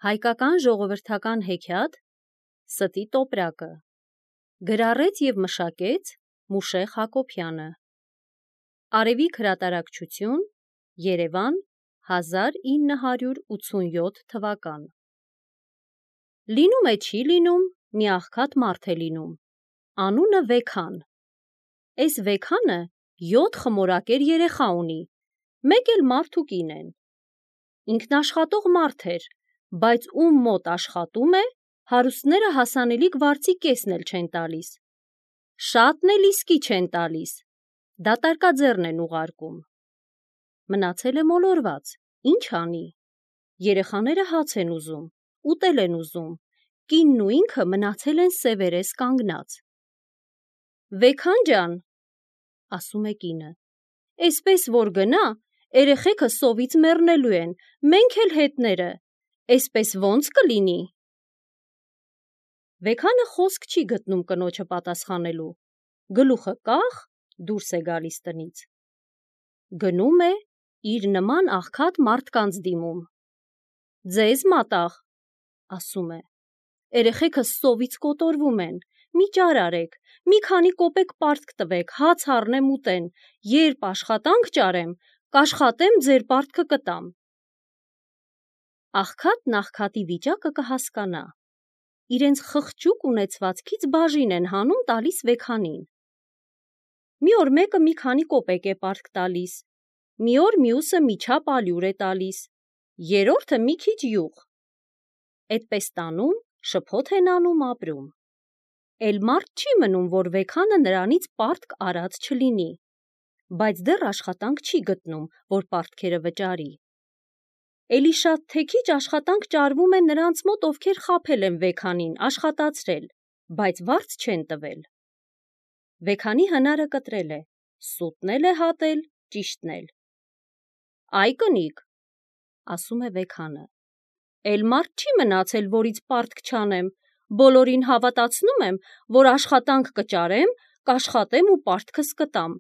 Հայկական ժողովրդական հեքիաթ «Ստի տոպրակը» գրառեց և մշակեց Մուշեղ Հակոբյանը։ Արևիկ հրատարակչություն, Երևան, 1987 թվական։ Լինում է չի լինում, մի աղքատ մարդ է լինում, անունը Վեքան։ Էս Վեքանը 7 խմորակեր երեխա ունի, մեկ էլ մարդ ու կին են։ Ինքնաշխատող մարդ էր, բայց ում մոտ աշխատում է, հարուստները հասանելիք վարձի կեսն էլ չեն տալիս, շատն էլ իսկի չեն տալիս, դատարկաձեռն են ուղարկում։ Մնացել է մոլորված, ինչ անի, երեխաները հաց են ուզում, ուտել են ուզում, կինն ու ինքը մնացել են սևերես կանգնած։ Վեքան ջան, ասում է կինը, էսպես որ գնա, երեխեքը սովից մեռնելու են, մենք էլ հետները, էսպես ոնց կլինի։ Վեքանը խոսք չի գտնում կնոջը պատասխանելու, գլուխը կախ դուրս է գալիս տնից։ Գնում է իր նման աղքատ մարդկանց դիմում։ Ձեզ մատաղ, ասում է, երեխեքը սովից կոտորվում են, մի ճար արեք, մի քանի կոպեկ պարտք տվեք, հաց առնեմ ուտեն, երբ աշխատանք ճարեմ, կաշխատեմ ձեր պարտքը կտամ։ Աղքատն աղքատի վիճակը կհասկանա, իրենց խղճուկ ունեցվածքից բաժին են հանում տալիս Վեքանին։ Մի օր մեկը մի քանի կոպեկ է պարտք տալիս, մի օր մյուսը մի չափ ալյուր է տալիս, երրորդը մի քիչ յուղ։ Էդպես տանում, շփոթ են անում, ապրում։ Էլ մարդ չի մնում, որ Վեքանը նրանից պարտք արած չլինի, բայց դեռ աշխատանք չի գտնում, որ պարտքերը վճարի։ Էլի շատ թե քիչ աշխատանք ճարվում է նրանց մոտ, ովքեր խաբել են Վեքանին, աշխատացրել, բայց վարձ չեն տվել։ Վեքանի հնարը կտրել է, սուտն էլ է հատել, ճիշտն էլ։ Այ կնիկ, ասում է Վեքանը, էլ մարդ չի մնացել, որից պարտք չանեմ, բոլորին հավատացնում եմ, որ աշխատանք կճարեմ, կաշխատեմ ու պարտքս կտամ,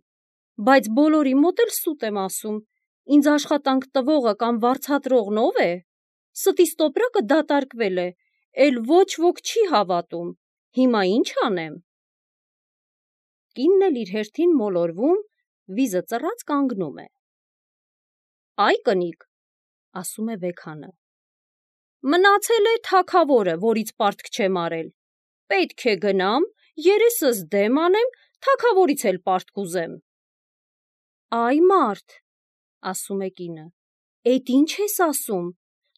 բայց բոլորի մոտ էլ սուտ եմ ասում, ինձ աշխատանք տվողը կամ վարձատրողն ով է, ստիս տոպրակը դատարկվել է, էլ ոչ ոք չի հավատում, հիմա ինչ անեմ։ Կինն էլ իր հերթին մոլորվում, վիզը ծռած կանգնում է։ Այ կնիկ, ասում է Վեքանը, մնացել է թագավորը, որից պարտք չեմ արել, պետք է գնամ, երեսս դեմ անեմ, թագավորից էլ պարտք ուզեմ։ Այ մարդ, ասում է կինը, էդ ինչ ես ասում,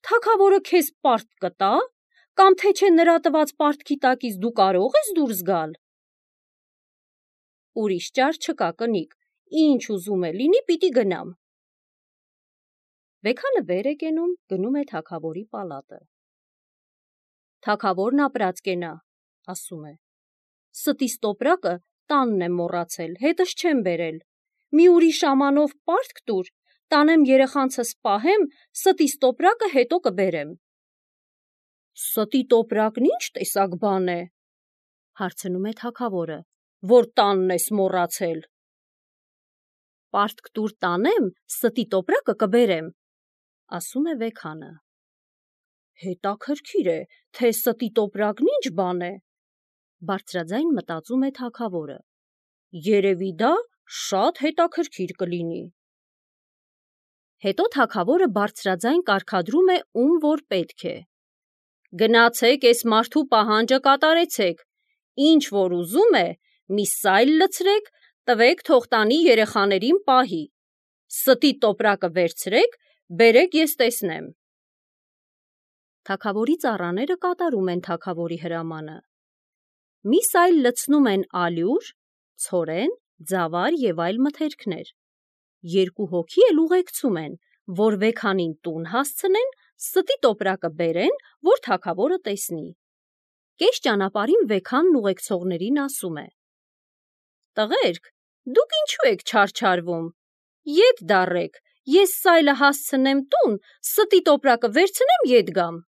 թագավորը քեզ պարտք կտա, կամ թե չէ նրա տված պարտքի տակից դու կարող ես դուրս գալ։ Ուրիշ ճար չկա կնիկ, ինչ ուզում է լինի, պիտի գնամ։ Վեքանը վեր է կենում, գնում է թագավորի պալատը։ Թագավորն ապրած կենա, ասում է, ստիս տոպրակը տանն եմ մոռացել, հետս չեմ բերել, մի ուրիշ ամանով պարտք տուր, տանեմ երեխանցս պահեմ, ստիս տոպրակը հետո կբերեմ։ Ստի տոպրակն ինչ տեսակ բան է, հարցնում է թագավորը, որ տանն ես մոռացել։ Պարտք տուր տանեմ, ստի տոպրակը կբերեմ, ասում է Վեքանը։ Հետաքրքիր է, թե ստի տոպրակն ինչ բան է, բարձրաձայն մտածում է թագավորը, երևի դա շատ հետաքրքիր կլինի։ Հետո թագավորը բարձրաձայն կարգադրում է, ում որ պետք է։ Գնացեք էս մարդու պահանջը կատարեցեք, ինչ որ ուզում է, մի սայլ լցրեք, տվեք թող տանի երեխաներին պահի, ստի տոպրակը վերցրեք, բերեք ես տեսնեմ։ Թագավորի ծառաները կատարում են թագավորի հրամանը։ Մի սայլ լցնում են ալյուր, ցորեն, ձավար և այլ մթերքներ, 2 հոգի էլ ուղեկցում են, որ Վեքանին տուն հասցնեն, ստի տոպրակը բերեն, որ թագավորը տեսնի։ Կես ճանապարհին Վեքանն ուղեկցողներին ասում է. Տղերք, դուք ինչու եք չարչարվում, ետ դառեք, ես սայլը հասցնեմ տուն, ստի տոպրակը վերցնեմ ետ գամ։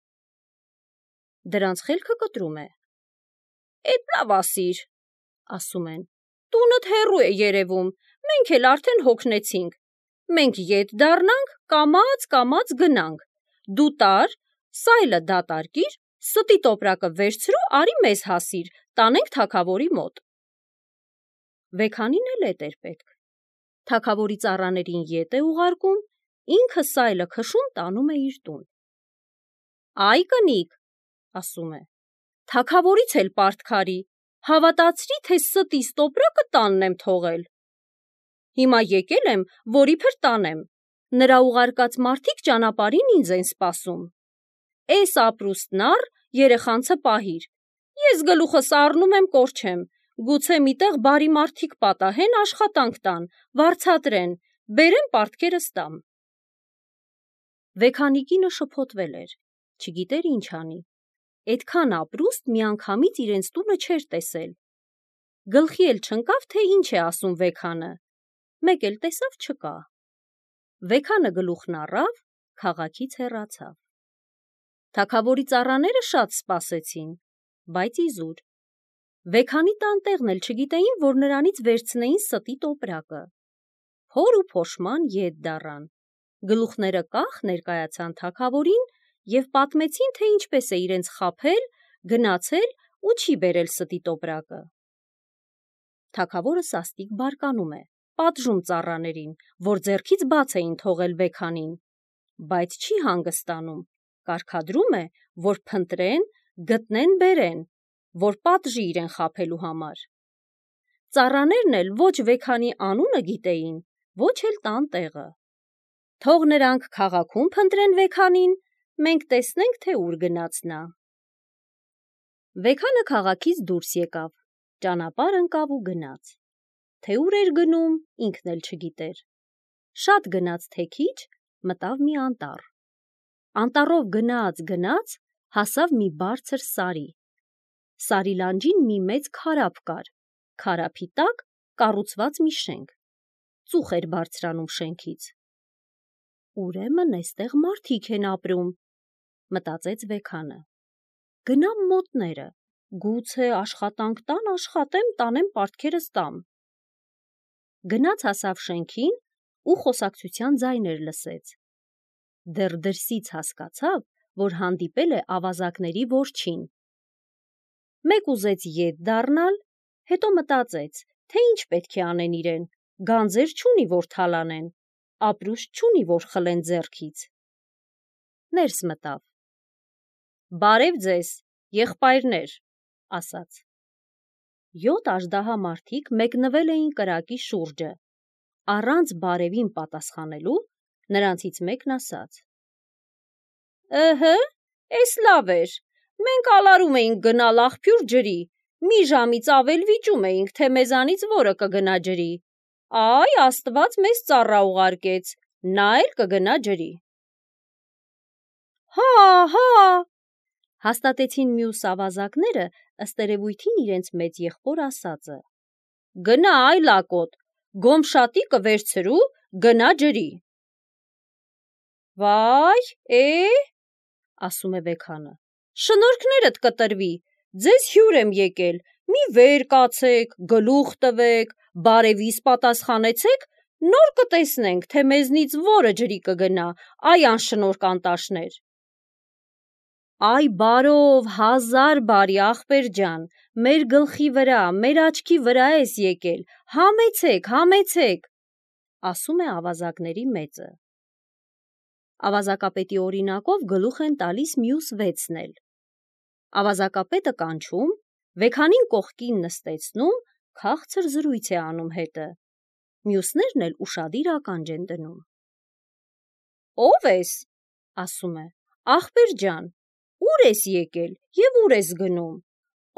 Դրանց խելքը կտրում է։ Էդ լավ ասիր, ասում են, տունդ հեռու է երևում, մենք էլ արդեն հոգնեցինք, մենք ետ դառնանք, կամաց գնանք, դու տար, Սայլը դատարկիր, ստի տոպրակը վերցրու, արի մեզ հասիր, տանենք թագավորի մոտ։ Վեքանին էլ էդ էր պետք։ Թագավորի ծառաներին ետ է ուղարկում, ինքը սայլը քշում տանում է իր տուն։ Այ կնիկ, ասում է, թագավորից էլ պարտքարի, հավատացրի, թե ստիս տոպրակը տանն եմ թողել։ Հիմա եկել եմ, որ իբր տանեմ, նրա ուղարկած մարդիկ ճանապարհին ինձ են սպասում։ Էս ապրուստն առ, երեխանցը պահիր, ես գլուխս առնում եմ կորչեմ, գուցե միտեղ բարի մարդիկ պատահեն աշխատանք տան, վարձատրեն, բերեմ պարտքերս տամ։ Վեքանի կինը շփոթվել էր, չգիտեր ինչ անի, էդքան ապրուստ միանգամից իրենց տունը չէր տեսել։ Գլխի էլ չընկավ, թե ինչ է ասում Վեքանը, մեկ էլ տեսավ չկա։ Վեքանը գլուխն առավ, քաղաքից հեռացավ։ Թագավորի ծառաները շատ սպասեցին, բայց իզուր։ Վեքանի տանտեղն էլ չգիտեին, որ նրանից վերցնեին ստի տոպրակը։ Փոր ու փոշման ետ դառան, գլուխները կախ ներկայացան թագավորին և պատմեցին, թե ինչպես է իրենց խաբել, գնացել ու չի բերել ստի տոպրակը։ Թագավորը սաստիկ բարկանում է, պատժում ծառաներին, որ ձեռքից բաց էին թողել Վեքանին, բայց չի հանգստանում, կարգադրում է, որ փնտրեն, գտնեն, բերեն, որ պատժի իրեն խաբելու համար։ Ծառաներն էլ ոչ Վեքանի անունը գիտեին, ոչ էլ տան տեղը։ Թող նրանք քաղաքում փնտրեն Վեքանին, մենք տեսնենք, թե ուր գնաց նա։ Վեքանը քաղաքից դուրս եկավ, ճանապարհ ընկավ ու գնաց։ Թե ուր էր գնում, ինքն էլ չգիտեր։ Շատ գնաց, թե քիչ, մտավ մի անտառ։ Անտառով գնաց, հասավ մի բարձր սարի։ Սարի լանջին մի մեծ քարափ կար, քարափի տակ կառուցված մի շենք։ Ծուխ էր բարձրանում շենքից։ Ուրեմն էստեղ մարդիկ են ապրում, մտածեց Վեքանը։ Գնամ մոտները, գուցե աշխատանք տան, աշխատեմ, տանեմ պարտքերս տամ։ Գնաց հասավ շենքին ու խոսակցության ձայներ լսեց։ Դեռ դրսից հասկացավ, որ հանդիպել է ավազակների որջին։ Մեկ ուզեց ետ դառնալ, հետո մտածեց, թե ինչ պետք է անեն իրեն, գանձեր չունի, որ թալանեն, ապրուստ չունի, որ խլեն ձեռքից։ Ներս մտավ։ Բարև ձեզ, եղբայրներ, ասաց։ 7 աժդահա մարդիկ մեկնվել էին կրակի շուրջը։ Առանց բարևին պատասխանելու, նրանցից մեկն ասաց. էս լավ էր, մենք ալարում էինք գնալ աղբյուր ջրի, մի ժամից ավել վիճում էինք, թե մեզանից որը կգնա ջրի։ Այ Աստված մեզ ծառա ուղարկեց, նա էլ կգնա ջրի։ Հա, հաստատեցին մյուս ավազակները, ըստ երևույթին իրենց մեծ եղբոր ասածը։ Գնա այ լակոտ, գոմշատիկը վերցրու, գնա ջրի։ Վայ, ասում է Վեքանը, շնորհքներդ կտրվի, ձեզ հյուր եմ եկել, մի վեր կացեք, գլուխ տվեք, բարևիս պատասխանեցեք, նոր կտեսնենք, թե մեզնից որը ջրի կգնա, այ անշնորհք անտաշներ։ Այ բարով, 1000 բարի ախպեր ջան, մեր գլխի վրա, մեր աչքի վրա ես եկել, համեցեք, ասում է ավազակների մեծը։ Ավազակապետի օրինակով գլուխ են տալիս մյուս 6-ն էլ։ Ավազակապետը կանչում, Վեքանին կողքին նստեցնում, քաղցր զրույց է անում հետը։ Մյուսներն էլ ուշադիր ականջ են դնում։ Ո՞վ ես, ասում է, ախպեր ջան, ուր ես եկել և ուր ես գնում։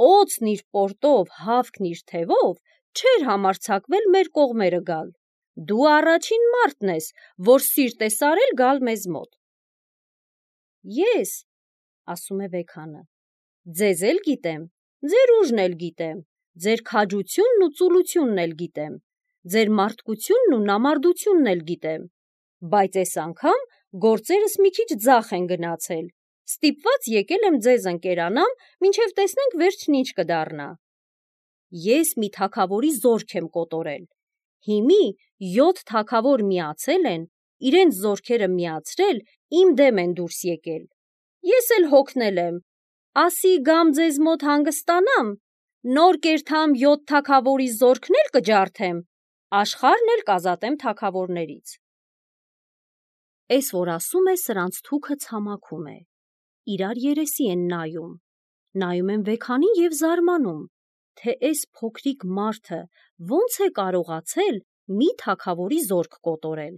Օձն իր պորտով, հավքն իր թևով չէր համարձակվել մեր կողմերը գալ։ Դու առաջին մարդն ես, որ սիրտ ես արել գալ մեզ մոտ։ Ես, ասում է Վեքանը, ձեզ էլ գիտեմ, ձեր ուժն էլ գիտեմ, ձեր քաջությունն ու ծուլությունն էլ գիտեմ, ձեր մարդկությունն ու նամարդությունն էլ գիտեմ, բայց այս անգամ գործերս մի քիչ ձախ են գնացել, ստիպված եկել եմ ձեզ ընկերանամ, մինչև տեսնենք վերջն ինչ կդառնա։ Ես մի թագավորի զորք եմ կոտորել, հիմի 7 թագավոր միացել են, իրենց զորքերը միացրել, իմ դեմ են դուրս եկել, ես էլ հոգնել եմ, ասի գամ ձեզ մոտ հանգստանամ, նոր կերթամ 7 թագավորի զորքն էլ կջարդեմ, աշխարհն էլ կազատեմ թագավորներից։ Էս որ ասում է, սրանց թուքը ցամաքում է, իրար երեսի են նայում են Վեքանին և զարմանում, թե էս փոքրիկ մարդը ոնց է կարողացել մի թագավորի զորք կոտորել։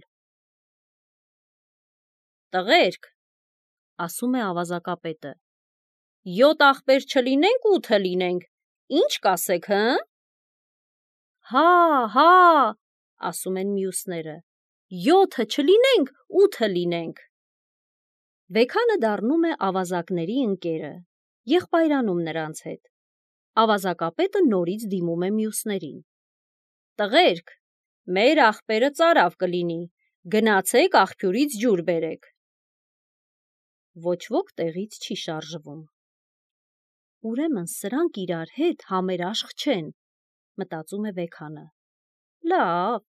Տղերք, ասում է ավազակապետը, 7 ախպեր չլինենք 8 լինենք, ինչ կասեք, հը։ Հա, ասում են մյուսները, 7 չլինենք 8 լինենք։ Վեքանը դառնում է ավազակների ընկերը, եղբայրանում նրանց հետ։ Ավազակապետը նորից դիմում է մյուսներին. Տղերք, մեր ախպերը ծարավ կլինի, գնացեք աղբյուրից ջուր բերեք։ Ոչ ոք տեղից չի շարժվում։ Ուրեմն սրանք իրար հետ համերաշխ չեն, մտածում է Վեքանը։ Լավ,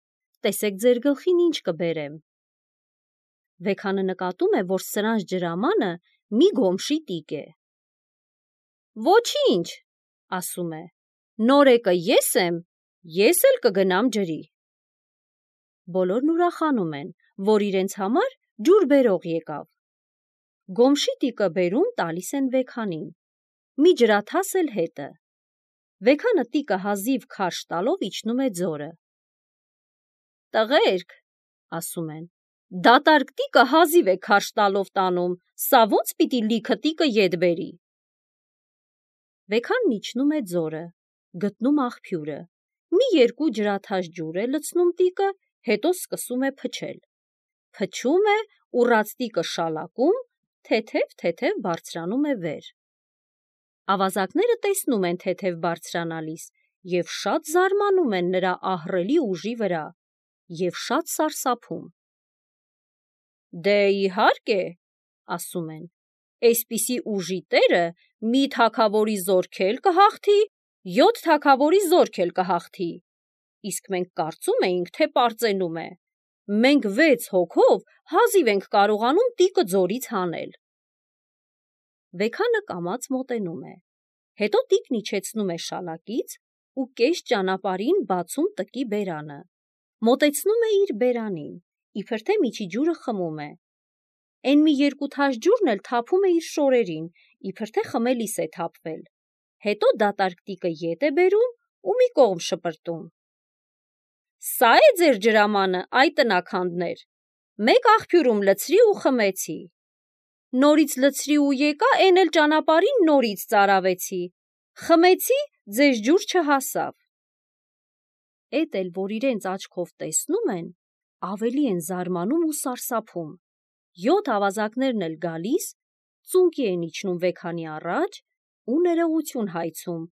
տեսեք ձեր գլխին ինչ կբերեմ։ Վեքանը նկատում է, որ սրանց ջրամանը մի գոմշի տիկ է։ Ոչինչ, ասում է, նորեկը ես եմ, ես էլ կգնամ ջրի։ Բոլորն ուրախանում են, որ իրենց համար ջուր բերող եկավ։ Գոմշի տիկը բերում տալիս են Վեքանին, մի ջրաթաս էլ հետը։ Վեքանը տիկը հազիվ քարշ տալով իջնում է ձորը։ Տղերք, ասում են, դատարկ տիկը հազիվ է քարշ տալով տանում, սա ոնց պիտի լիքը տիկը ետ բերի։ Վեքանն իջնում է ձորը, գտնում աղբյուրը, մի երկու ջրաթաս ջուր է լցնում տիկը, հետո սկսում է փչել։ Փչում է, ուռած տիկը շալակում, թեթև բարձրանում է վեր։ Ավազակները տեսնում են թեթև բարձրանալիս և շատ զարմանում են նրա ահռելի ուժի վրա և շատ սարսափում։ Դե իհարկե, ասում են, էսպիսի ուժի տերը մի թագավորի զորք էլ կհաղթի, 7 թագավորի զորք էլ կհաղթի, իսկ մենք կարծում էինք, թե պարծենում է, մենք 6 հոգով հազիվ ենք կարողանում տիկը ձորից հանել։ Վեքանը կամաց մոտենում է, հետո տիկն իջեցնում է շալակից ու կես ճանապարհին բացում տկի բերանը, մոտեցնում է իր բերանին, իբր թե միջի ջուրը խմում է, էն մի երկու թաս ջուրն էլ թափում է իր շորերին, իբր թե խմելիս է թափվել, հետո դատարկ տիկը ետ է բերում ու մի կողմ շպրտում։ Սա է ձեր ջրամանը, այ տնաքանդներ, մեկ աղբյուրում լցրի ու խմեցի, նորից լցրի ու եկա, էն էլ ճանապարհին նորից ծարավեցի, խմեցի, ձեզ ջուր չհասավ։ Էդ էլ, որ իրենց աչքով տեսնում են, ավելի են զարմանում ու սարսափում։ 7 ավազակներն էլ գալիս, ծունկի են իջնում Վեքանի առաջ ու ներողություն հայցում,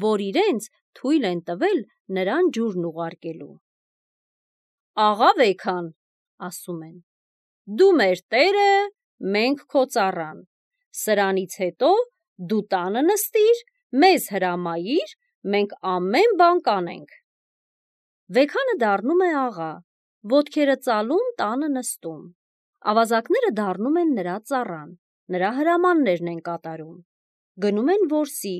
որ իրենց թույլ են տվել նրան ջուրն ուղարկելու։ Աղա Վեքան, ասում են, դու մեր տերը, մենք քո ծառան, սրանից հետո դու տանը նստիր, մեզ հրամայիր, մենք ամեն բան կանենք։ Վեքանը դառնում է աղա, ոտքերը ծալում տանը նստում, ավազակները դառնում են նրա ծառան, նրա հրամաններն են կատարում, գնում են որսի,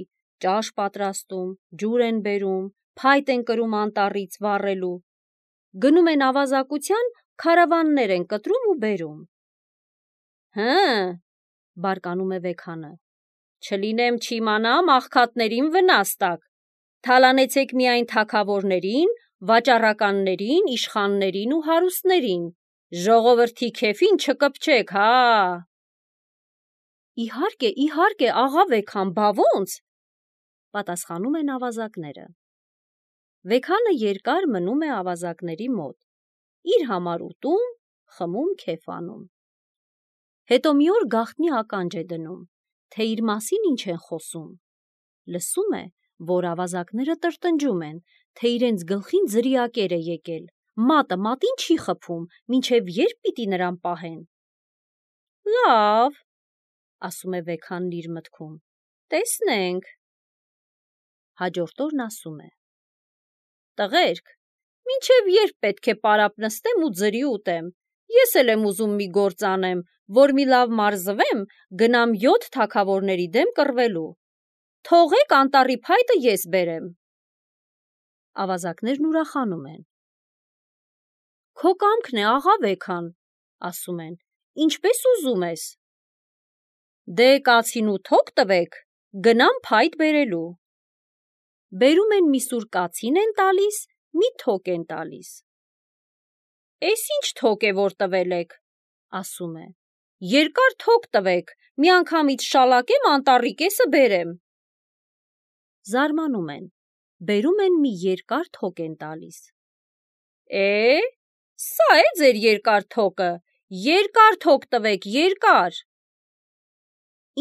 ճաշ պատրաստում, ջուր են բերում, փայտ են կրում անտառից վառելու, գնում են ավազակության, քարավաններ են կտրում ու բերում։ Հը, բարկանում է Վեքանը, չլինեմ չիմանամ աղքատներին վնաս տաք, թալանեցեք միայն թագավորներին, վաճառականներին, իշխաններին ու հարուստներին, ժողովրդի քեֆին չկպչեք, հա։ Իհարկե, աղա Վեքան, բա ոնց, պատասխանում են ավազակները։ Վեքանը երկար մնում է ավազակների մոտ, իր համար ուտում, խմում, քեֆանում։ Հետո մի օր գաղտնի ականջ է դնում, թե իր մասին ինչ են խոսում։ Լսում է, որ ավազակները տրտնջում են, թե իրենց գլխին ձրիակեր է եկել, մատը մատին չի խփում, մինչև երբ պիտի նրան պահեն։ Լավ, ասում է Վեքանն իր մտքում, տեսնենք։ Հաջորդ օրն ասում է. Տղերք, մինչև երբ պետք է պարապ նստեմ ու ձրի ուտեմ, ես էլ եմ ուզում մի գործ անեմ, որ մի լավ մարզվեմ, գնամ 7 թագավորների դեմ կռվելու։ Թողեք անտառի փայտը ես բերեմ։ Ավազակներն ուրախանում են։ Քո կամքն է, աղա Վեքան, ասում են, ինչպես ուզում ես։ Դե կացին ու թոք տվեք, գնամ փայտ բերելու։ Բերում են մի սուր կացին են տալիս, մի թոք են տալիս։ Էս ինչ թոք է, որ տվել եք, ասում է։ Երկար թոք տվեք, միանգամից շալակեմ անտառի կեսը բերեմ։ Զարմանում են, բերում են մի երկար թոք են տալիս։ Սա է ձեր երկար թոկը, երկար թոք տվեք, երկար։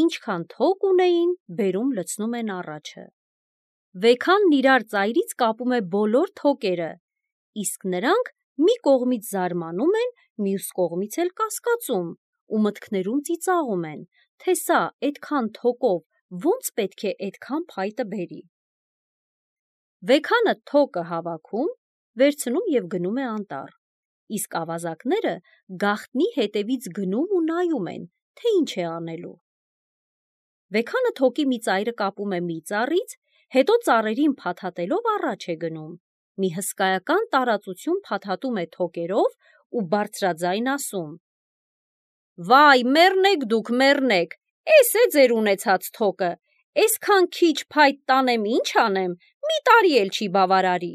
Ինչքան թոք ունեին, բերում լցնում են առաջը։ Վեքանն իրար ծայրից կապում է բոլոր թոկերը, իսկ նրանք մի կողմից զարմանում են, մյուս կողմից էլ կասկածում ու մտքներում ծիծաղում են, թե սա այդքան թոկով ոնց պետք է այդքան փայտը բերի։ Վեքանը թոկը հավաքում, վերցնում և գնում է անտառ, իսկ ավազակները գաղտնի հետևից գնում ու նայում են, թե ինչ է անելու։ Վեքանը թոկի մի ծայրը կապում է մի ծառից, հետո ծառերին փաթաթելով առաջ է գնում, մի հսկայական տարածություն փաթաթում է թոկերով ու բարձրաձայն ասում. Վայ, մեռնեք դուք, մեռնեք, էս է ձեր ունեցած թոկը, էսքան քիչ փայտ տանեմ, ինչ անեմ, մի տարի էլ չի բավարարի։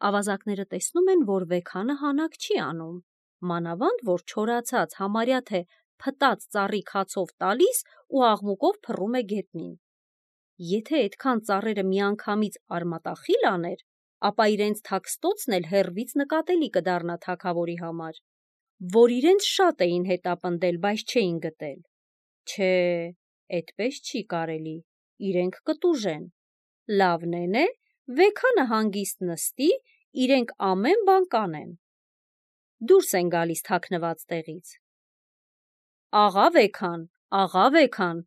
Ավազակները տեսնում են, որ Վեքանը հանակ չի անում, մանավանդ, որ չորացած, համարյա թե փտած ծառի քացով տալիս ու աղմուկով փռում է գետնին։ Եթե այդքան ծառերը միանգամից արմատախիլ աներ, ապա իրենց թաքստոցն էլ հեռվից նկատելի կդառնա թագավորի համար, որ իրենց շատ էին հետապնդել, բայց չէին գտել։ Չէ, այդպես չի կարելի, իրենք կտուժեն։ Լավն է, Վեքանը հանգիստ նստի, իրենք ամեն բան կանեն։ Դուրս են գալիս թաքնված տեղից։ Աղա Վեքան,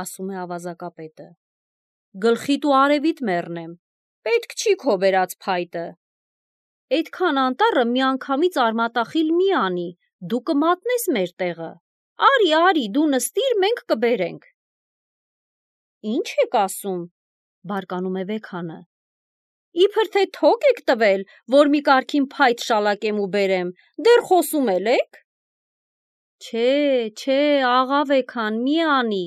ասում է ավազակապետը, գլխիդ ու արևիդ մեռնեմ, պետք չի քո բերած փայտը։ Այդքան անտառը միանգամից արմատախիլ մի անի, դու կմատնես մեր տեղը։ Արի, դու նստիր, մենք կբերենք։ Ինչ եք ասում, բարկանում է Վեքանը։ Իբր թե թոք եք տվել, որ մի կարգին փայտ շալակեմ ու բերեմ, դեռ խոսում էլ եք։ Չէ, աղա Վեքան, մի անի,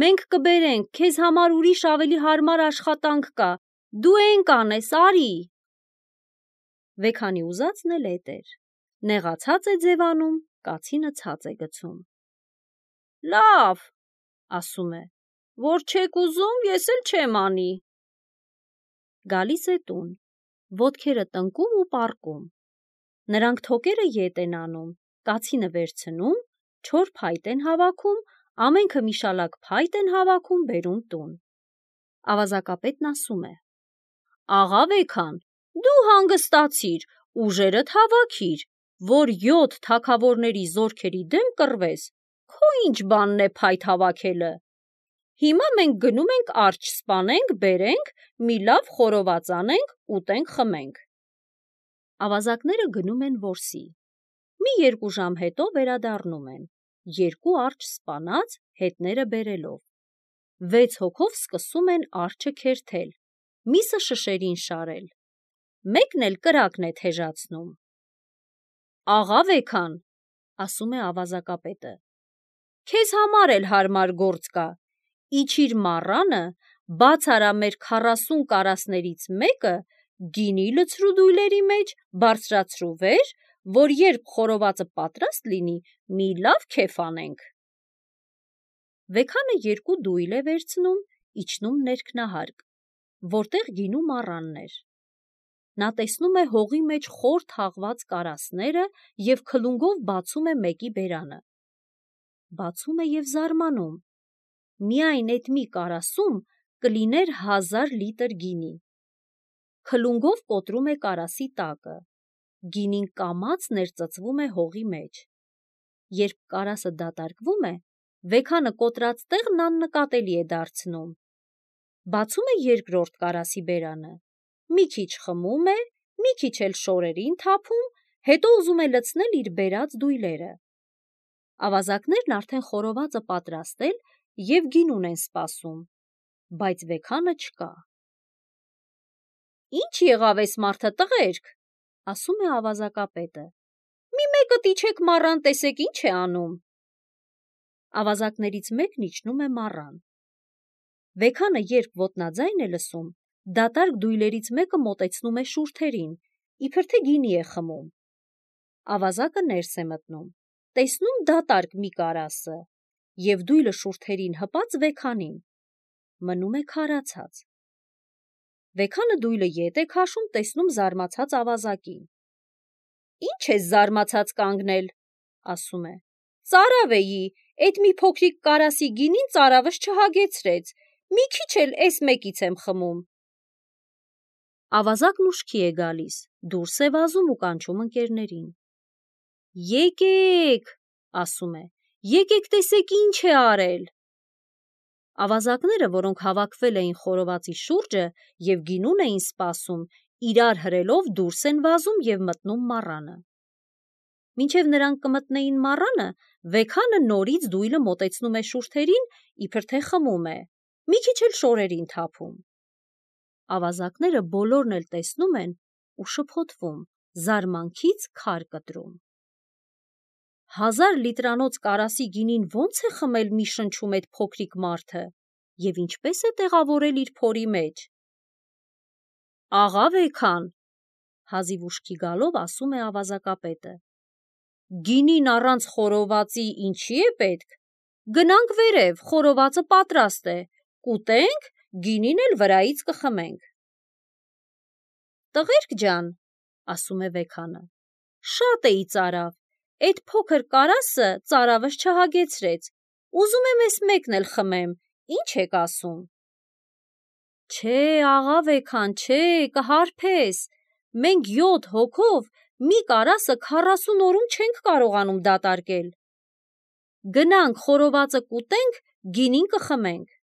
մենք կբերենք, քեզ համար ուրիշ ավելի հարմար աշխատանք կա, դու են կանես, արի։ Վեքանի ուզածն էլ էդ էր, նեղացած է ձևանում, կացինը ցած է գցում։ Լավ, ասում է, որ չեք ուզում, ես էլ չեմ անի։ Գալիս է տուն, ոտքերը տնկում ու պառկում։ Նրանք թոկերը ետ են անում, կացինը վերցնում, չոր փայտ են հավաքում, ամենքը մի շալակ փայտ են հավաքում, բերում տուն։ Ավազակապետն ասում է. Աղա Վեքան, դու հանգստացիր, ուժերդ հավաքիր, որ 7 թագավորների զորքերի դեմ կռվես, քո ինչ բանն է փայտ հավաքելը։ Հիմա մենք գնում ենք արջը սպանենք, բերենք, մի լավ խորոված անենք, ուտենք, խմենք։ Ավազակները գնում են որսի։ Մի 2 ժամ հետո վերադառնում են, 2 արջ սպանած, հետները բերելով։ 6 հոգով սկսում են արջը քերթել, միսը շշերին շարել։ Մեկն էլ կրակն է թեժացնում։ Աղա Վեքան, ասում է ավազակապետը, քեզ համար էլ հարմար գործ կա, իջիր մառանը, բաց արա մեր 40 կարասներից մեկը, գինի լցրու դույլերի մեջ, բարձրացրու վեր, որ երբ խորովածը պատրաստ լինի, մի լավ քեֆ անենք։ Վեքանը 2 դույլ է վերցնում, իջնում ներքնահարկ, որտեղ գինու մառանն էր։ Նա տեսնում է հողի մեջ խոր թաղված կարասները և քլունգով բացում է մեկի բերանը։ Բացում է և զարմանում. միայն այդ մի կարասում կլիներ 1000 լիտր գինի։ Քլունգով կոտրում է կարասի տակը, գինին կամաց ներծծվում է հողի մեջ։ Երբ կարասը դատարկվում է, Վեքանը կոտրած տեղն աննկատելի է դարձնում։ Բացում է երկրորդ կարասի բերանը, մի քիչ խմում է, մի քիչ էլ շորերին թափում, հետո ուզում է լցնել իր բերած դույլերը։ Ավազակներն արդեն խորովածը պատրաստել և գինուն են սպասում, բայց Վեքանը չկա։ Ինչ եղավ էս մարդը, տղերք, ասում է ավազակապետը, մի մեկը իջեք մառան, տեսեք ինչ է անում։ Ավազակներից մեկն իջնում է մառան։ Վեքանը երբ ոտնաձայն է լսում, դատարկ դույլերից մեկը մոտեցնում է շուրթերին, իբր թե գինի է խմում։ Ավազակը ներս է մտնում, տեսնում դատարկ մի կարասը, և դույլը շուրթերին հպած Վեքանին, մնում է քարացած։ Վեքանը դույլը ետ է քաշում, տեսնում զարմացած ավազակին։ Ինչ ես զարմացած կանգնել, ասում է, ծարավ էի, էդ մի փոքրիկ կարասի գինին ծարավս չհագեցրեց, մի քիչ էլ էս մեկից եմ խմում։ Ավազակն ուշքի է գալիս, դուրս է վազում ու կանչում ընկերներին։ Եկեք, ասում է, եկեք տեսեք ինչ է արել։ Ավազակները, որոնք հավաքվել էին խորովածի շուրջը և գինուն էին սպասում, իրար հրելով դուրս են վազում և մտնում մառանը։ Մինչև նրանք կմտնեին մառանը, Վեքանը նորից դույլը մոտեցնում է շուրթերին, իբր թե խմում է, մի քիչ էլ շորերին թափում։ Ավազակները բոլորն էլ տեսնում են ու շփոթվում, զարմանքից քար կտրում։ 1000 լիտրանոց կարասի գինին ո՞նց է խմել մի շնչում էդ փոքրիկ մարդը և ինչպես է տեղավորել իր փորի մեջ։ Աղա Վեքան, հազիվ ուշքի գալով ասում է ավազակապետը, գինին առանց խորովածի ինչի է պետք։ Գնանք վերև, խորովածը պատրաստ է, կուտենք, գինին էլ վրայից կխմենք։ Տղերք ջան, ասում է Վեքանը, շատ էի ծարավ, էդ փոքր կարասը ծարավս չհագեցրեց, ուզում եմ էս մեկն էլ խմեմ, ինչ եք ասում։ Չէ, աղա Վեքան, չէ, կհարբես, մենք 7 հոգով մի կարասը 40 օրում չենք կարողանում դատարկել։ Գնանք խորովածը կուտենք, գինին կխմենք։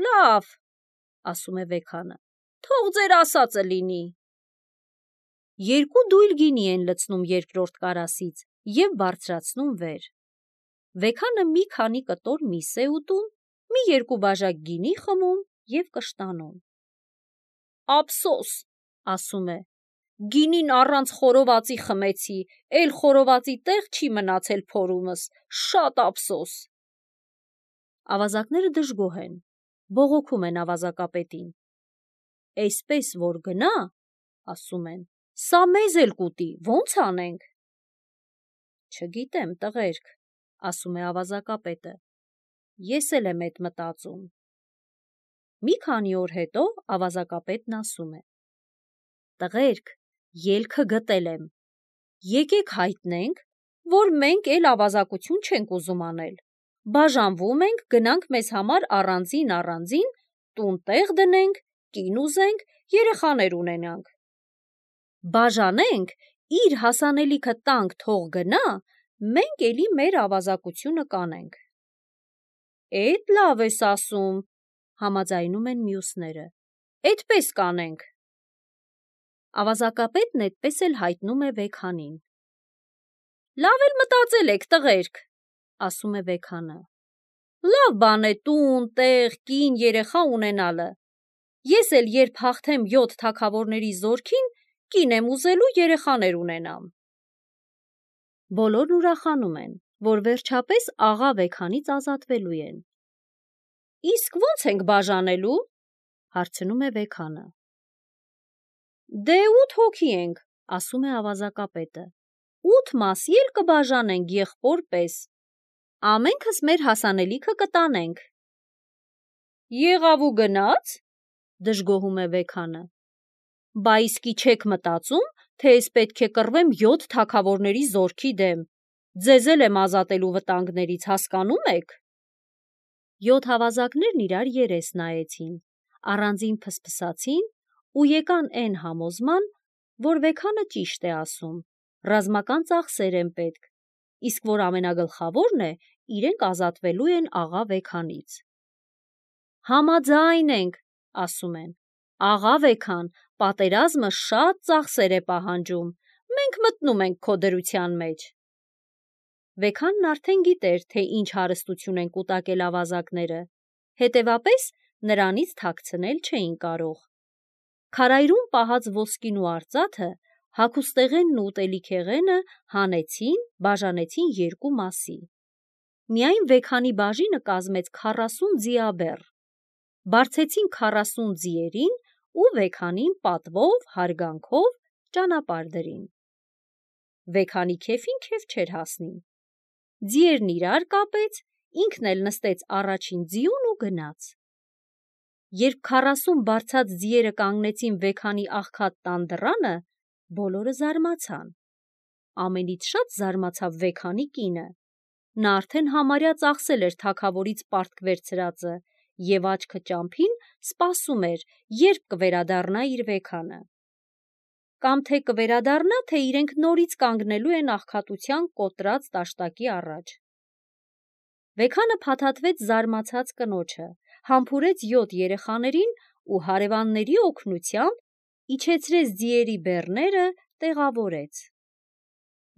Լավ, ասում է Վեքանը, թող ձեր ասածը լինի։ 2 դույլ գինի են լցնում երկրորդ կարասից և բարձրացնում վեր։ Վեքանը մի քանի կտոր միս է ուտում, մի 2 բաժակ գինի խմում և կշտանում։ Ափսոս, ասում է, գինին առանց խորովածի խմեցի, էլ խորովածի տեղ չի մնացել փորումս, շատ ափսոս։ Ավազակները դժգոհ են, բողոքում են ավազակապետին։ Էսպես որ գնա, ասում են, սա մեզ էլ կուտի, ո՞նց անենք։ Չգիտեմ, տղերք, ասում է ավազակապետը, ես էլ եմ էդ մտածում։ Մի քանի օր հետո ավազակապետն ասում է. Տղերք, ելքը գտել եմ, եկեք հայտնենք, որ մենք էլ ավազակություն չենք ուզում անել, բաժանվում ենք, գնանք մեզ համար առանձին տուն տեղ դնենք, կին ուզենք, երեխաներ ունենանք։ Բաժանենք, իր հասանելիքը տանք, թող գնա, մենք էլի մեր ավազակությունը կանենք։ Էդ լավ ես ասում, համաձայնում են մյուսները, էդպես կանենք։ Ավազակապետն էդպես էլ հայտնում է Վեքանին։ Լավ էլ մտածել եք, տղերք, ասում է Վեքանը։ Լավ բան է տուն, տեղ, կին, երեխա ունենալը։ Ես էլ երբ հաղթեմ 7 թագավորների զորքին, կին եմ ուզելու, երեխաներ ունենամ։ Բոլորն ուրախանում են, որ վերջապես աղա Վեքանից ազատվելու են։ Իսկ ո՞նց ենք բաժանելու, հարցնում է Վեքանը։ Դե 8 հոգի ենք, ասում է ավազակապետը, 8 մասի էլ կբաժանենք եղբոր պես, ամենքս մեր հասանելիքը կտանենք։ Եղավ ու գնաց, դժգոհում է Վեքանը։ Բա իսկի չեք մտածում, թե ես պետք է կռվեմ 7 թագավորների զորքի դեմ, ձեզ էլ եմ ազատելու վտանգներից, հասկանում եք։ 7 ավազակներն իրար երես նայեցին, առանձին փսփսացին ու եկան էն համոզման, որ Վեքանը ճիշտ է ասում, ռազմական ծախսեր են պետք, իսկ որ ամենագլխավորն է, իրենք ազատվելու են աղա Վեքանից։ Համաձայն ենք, ասում են, աղա Վեքան, պատերազմը շատ ծախսեր է պահանջում, մենք մտնում ենք քո դրության մեջ։ Վեքանն արդեն գիտեր, թե ինչ հարստություն են կուտակել ավազակները, հետևապես նրանից թաքցնել չէին կարող։ Քարայրում պահած ոսկին ու արծաթը, հագուստեղենն ու ուտելիքեղենը հանեցին, բաժանեցին երկու մասի։ Միայն Վեքանի բաժինը կազմեց 40 ձիաբեռ։ Բարձեցին 40 ձիերին ու Վեքանին պատվով, հարգանքով ճանապարհ դրին։ Վեքանի քեֆին քեֆ չէր հասնի։ Ձիերն իրար կապեց, ինքն էլ նստեց առաջին ձիուն ու գնաց։ Երբ 40 բարձած ձիերը կանգնեցին Վեքանի աղքատ տան դռանը, բոլորը զարմացան։ Ամենից շատ զարմացավ Վեքանի կինը։ Նա արդեն համարյա ծախսել էր թագավորից պարտք վերցրածը և աչքը ճամփին սպասում էր, երբ կվերադառնա իր Վեքանը։ Կամ թե կվերադառնա, թե իրենք նորից կանգնելու են աղքատության կոտրած տաշտակի առաջ։ Վեքանը փաթաթվեց զարմացած կնոջը, համբուրեց 7 երեխաներին ու հարևանների օգնությամբ իջեցրեց ձիերի բեռները, տեղավորեց։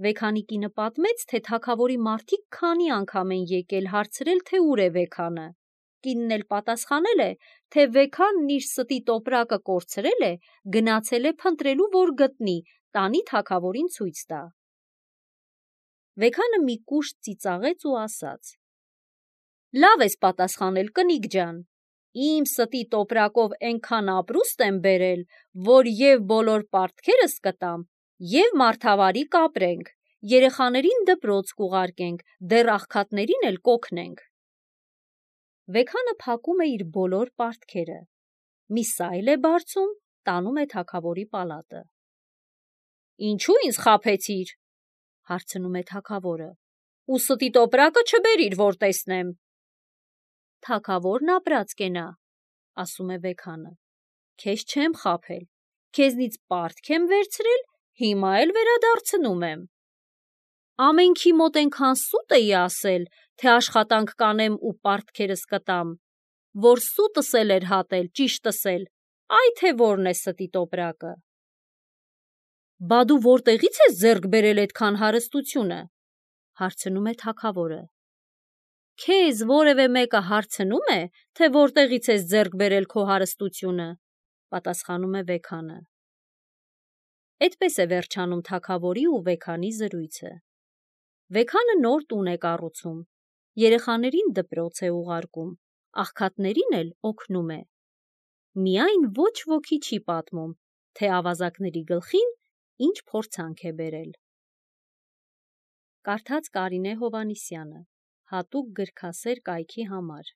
Վեքանի կինը պատմեց, թե թագավորի մարդիկ քանի անգամ են եկել հարցրել, թե ուր է Վեքանը։ Կինն էլ պատասխանել է, թե Վեքանն իր ստի տոպրակը կորցրել է, գնացել է փնտրելու, որ գտնի, տանի թագավորին ցույց տա։ Վեքանը մի կուշտ ծիծաղեց ու ասաց. «Լավ ես պատասխանել, կնիկ ջան, իմ ստի տոպրակով էնքան ապրուստ եմ բերել, որ և բոլոր պարտքերս կտամ, և մարդավարի կապրենք, երեխաներին դպրոց կուղարկենք, դեռ աղքատներին էլ կօգնենք»։ Վեքանը փակում է իր բոլոր պարտքերը, մի սայլ է բարձում, տանում է թագավորի պալատը։ «Ինչու ինձ խաբեցիր», հարցնում է թագավորը, «ու ստի տոպրակը չբերիր, որ տեսնեմ»։ «Թագավորն ապրած կենա», ասում է Վեքանը, «քեզ չեմ խաբել, քեզնից պարտք եմ վերցրել, հիմա էլ վերադարձնում եմ»։ Ամենքի մոտ էնքան սուտ էի ասել, թե աշխատանք կանեմ ու պարտքերս կտամ, որ սուտս էլ էր հատել, ճիշտս էլ, այ թե որն է ստի տոպրակը։ «Բա դու որտեղից ես ձեռք բերել էդքան հարստությունը», հարցնում է թագավորը։ «Քեզ որևէ մեկը հարցնու՞մ է, թե որտեղից ես ձեռք բերել քո հարստությունը», պատասխանում է Վեքանը։ Էդպես է վերջանում թագավորի ու Վեքանի զրույցը։ Վեքանը նոր տուն է կառուցում, երեխաներին դպրոց է ուղարկում, աղքատներին էլ օգնում է։ Միայն ոչ ոքի չի պատմում, թե ավազակների գլխին ինչ փորձանք է բերել։ Կարդաց Կարինե Հովհաննիսյանը, հատուկ գրքասեր կայքի համար։